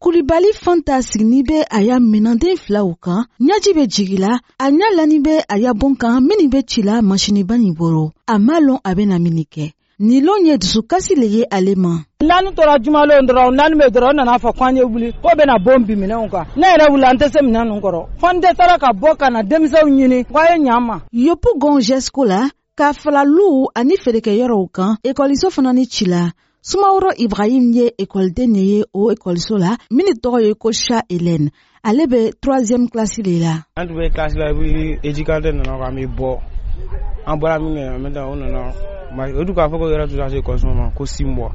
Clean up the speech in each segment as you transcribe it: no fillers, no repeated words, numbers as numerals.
Kulibali Fanta sigini bɛ a ya minanden filaw kan, ɲɛji bɛ jigila, a ɲɛ lani bɛ a ya bon kan minnu bɛ cila masiniba nin bolo. A m'a lɔn a bɛna min kɛ. Nin lon ye dusukasi le ye ale ma. N'an tora jumalon dɔrɔn, n'an bɛ dɔrɔn, nana fɔ k'an ye wuli ko bɛna bon bin minɛnw kan. Ne yɛrɛ wuli, an tɛ se minɛn ninnu kɔrɔ, fo n dɛsɛra ka bɔ ka na denmisɛnw ɲini k'a ye ɲa n ma. Yopougon GESCO la, ka fala luw ani feerekɛyɔrɔw kan, ekɔliso fana ni cila. Sumaworo Ibrahim ye ekɔliden de ye o ekɔliso la min tɔgɔ ye ko Cha Hélène. Ale bɛ troisième classe de la. An tun bɛ classe la, éducateur nana k'an bɛ bɔ. An bɔra min kɛ, maintenant o nana o dun k'a fɔ ko yɔrɔ tɛ se ekɔliso ma ko 6 mois.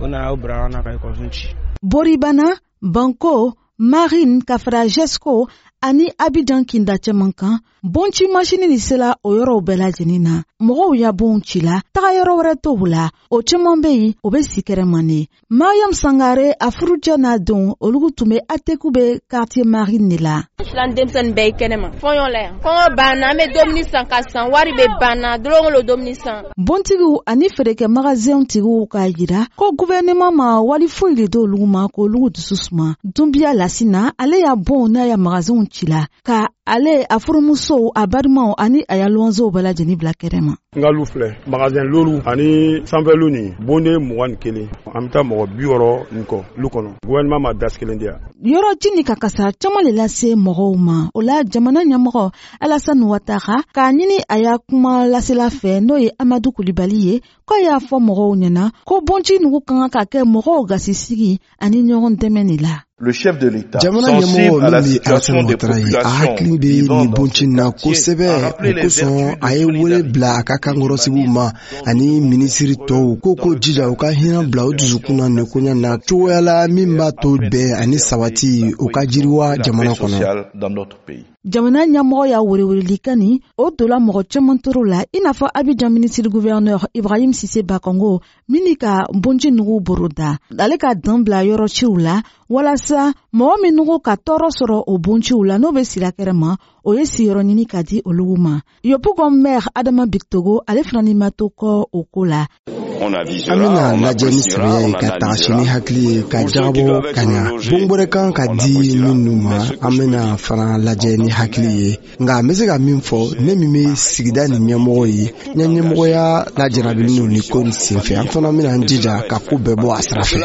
O nana o bila an na ka ekɔliso ci. Boribana, Banko, Marine ka fara GESCO ani Abidjan kinda caman kan, bonci masini ni sela o yɔrɔw bɛɛ lajɛlen na. Mɔgɔw ya bonw cila, taga yɔrɔ wɛrɛ t'o la. O caman bɛ yen, o bɛ si kɛrɛma de. Mariam Sangare, a furucɛ n'a denw, olu tun bɛ Ateku bɛ quartier Marine de la. Filan denmisɛnnin bɛɛ ye kɛnɛma fɔɲɔ la yan. Kɔngɔ banna, an bɛ dumuni san ka san, wari bɛ banna dɔrɔn o dumuni san. Bontigiw ani feerekɛ magasin tigiw k'a jira ko gouvernement ma wali foyi de d'olu ma k'olu dusu suma. Dunbiya Lasina, ale y'a bon n'a ya magasinw cila ka ale, a furumusow, a balimaw ani a ya luwanzew bɛɛ lajɛlen bila kɛnɛma. N ka lu filɛ, magasin lolu ani sanfɛlu nin, bonden 21, an bɛ taa mɔgɔ 60 nin kɔ lu kɔnɔ. Gouvernement ma dasi kelen di yan. Yɔrɔ ji ni ka kasara caman le lase mɔgɔw ma. O la, jamana ɲɛmɔgɔ Alassane Ouattara k'a ɲini a ya kuma lasela fɛ, n'o ye Amadu Kulibali ye, k'a y'a fɔ mɔgɔw ɲɛna ko bonci nugu ka kan ka kɛ mɔgɔw gasisigi ani ɲɔgɔn dɛmɛ de la. Le chef de l'État, jamana ɲɛmɔgɔ min bɛ Alassane Ouattara ye, a hakili bɛ nin bonci na kosɛbɛ. O kosɔn, a ye wele bila a ka kankɔrɔsigiw ma ani minisiri tɔw ko jija u ka hinɛ bila u dusukun na nin koɲɛ na cogoya la min b'a to bɛn ani sabati u ka jiriwa jamana kɔnɔ. Jamana ɲɛmɔgɔ y'a welewelelikan nin, o donna mɔgɔ caman toro la, i n'a fɔ Abidjan minisiri gouverneur Ibrahim Sise Bakongo min ka bonci nugu boroda. Ale ka dan bila yɔrɔ ciw la walasa mɔgɔ minnu ka tɔɔrɔ sɔrɔ o bonciw la, n'o bɛ sira kɛrɛ ma, o ye siyɔrɔ ɲini ka di olu ma. Yopougon maire Adama Bictogo, ale fana ni ma to kɔ o ko la. An bɛna lajɛ ni sɛbɛya ye, ka tagasi ni hakili ye, ka jagabɔ ka ɲa. Bon wɛrɛ kan ka di minnu ma, an bɛna fana lajɛ ni hakili ye. Nka n bɛ se ka min fɔ, ne min bɛ sigida nin ɲɛmɔgɔ ye, n ya ɲɛmɔgɔya lajarabilen don nin ko nin senfɛ. An fana bɛna an jija ka ko bɛɛ bɔ a sira fɛ.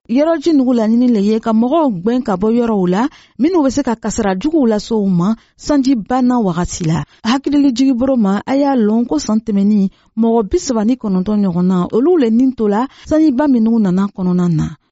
Yɔrɔji nugu laɲini le ye ka mɔgɔw gwɛn ka bɔ yɔrɔw la minnu bɛ se ka kasara juguw lase u ma sanji banna wagati la. Hakilili jigiboro ma, a y'a lɔn ko san tɛmɛnin, mɔgɔ 39 ɲɔgɔn na, olu le nin to la sanjiba minnu nana kɔnɔna na.